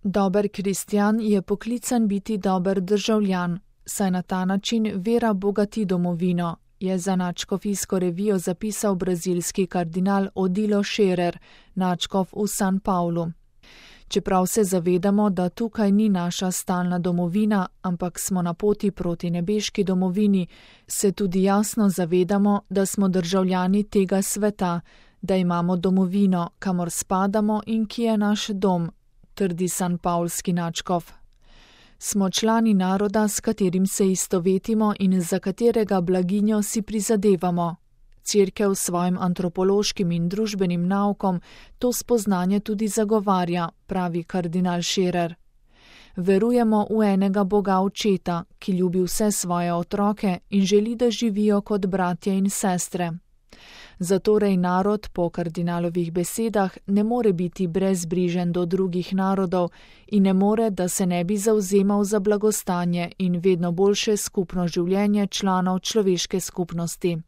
Dober kristjan je poklican biti dober državljan, saj na ta način vera bogati domovino, je za nadškofijsko revijo zapisal brazilski kardinal Odilo Scherer, nadškof v San Paulu. Čeprav se zavedamo, da tukaj ni naša stalna domovina, ampak smo na poti proti nebeški domovini, se tudi jasno zavedamo, da smo državljani tega sveta, da imamo domovino, kamor spadamo in ki je naš dom, trdi sanpaulski nadškof. Smo člani naroda, s katerim se istovetimo in za katerega blaginjo si prizadevamo. Cerkev s svojim antropološkim in družbenim naukom to spoznanje tudi zagovarja, pravi kardinal Scherer. Verujemo v enega Boga Očeta, ki ljubi vse svoje otroke in želi, da živijo kot bratje in sestre. Zatorej narod, po kardinalovih besedah, ne more biti brezbrižen do drugih narodov in ne more, da se ne bi zavzemal za blagostanje in vedno boljše skupno življenje članov človeške skupnosti.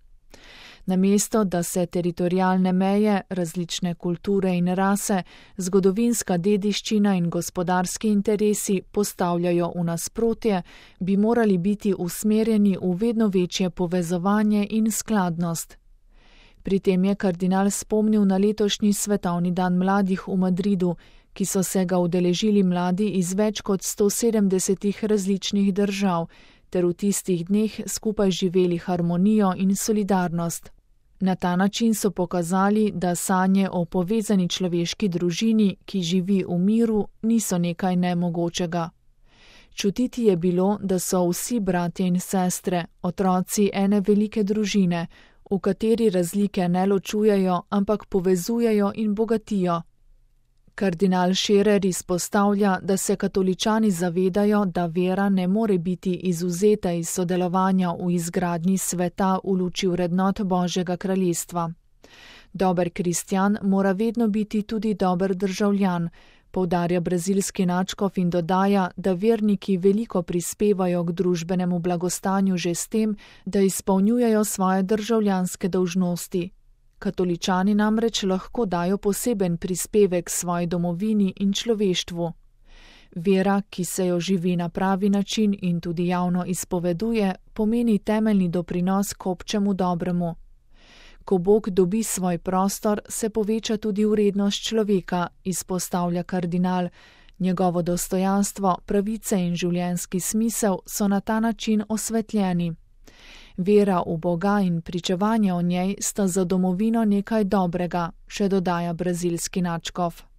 Namesto, da se teritorialne meje, različne kulture in rase, zgodovinska dediščina in gospodarski interesi postavljajo v nasprotje, bi morali biti usmerjeni v vedno večje povezovanje in skladnost. Pri tem je kardinal spomnil na letošnji svetovni dan mladih v Madridu, ki so se ga udeležili mladi iz več kot 170 različnih držav, ter v tistih dneh skupaj živeli harmonijo in solidarnost. Na ta način so pokazali, da sanje o povezani človeški družini, ki živi v miru, niso nekaj nemogočega. Čutiti je bilo, da so vsi bratje in sestre, otroci ene velike družine, v kateri razlike ne ločujejo, ampak povezujejo in bogatijo. Kardinal Scherer izpostavlja, da se katoličani zavedajo, da vera ne more biti izvzeta iz sodelovanja v izgradnji sveta v luči vrednot Božjega kraljestva. Dober kristjan mora vedno biti tudi dober državljan, poudarja brazilski nadškof in dodaja, da verniki veliko prispevajo k družbenemu blagostanju že s tem, da izpolnjujejo svoje državljanske dolžnosti. Katoličani namreč lahko dajo poseben prispevek svoji domovini in človeštvu. Vera, ki se jo živi na pravi način in tudi javno izpoveduje, pomeni temeljni doprinos k občemu dobremu. Ko Bog dobi svoj prostor, se poveča tudi vrednost človeka, izpostavlja kardinal. Njegovo dostojanstvo, pravice in življenjski smisel so na ta način osvetljeni. Vera v Boga in pričevanje o njej sta za domovino nekaj dobrega, še dodaja brazilski nadškof.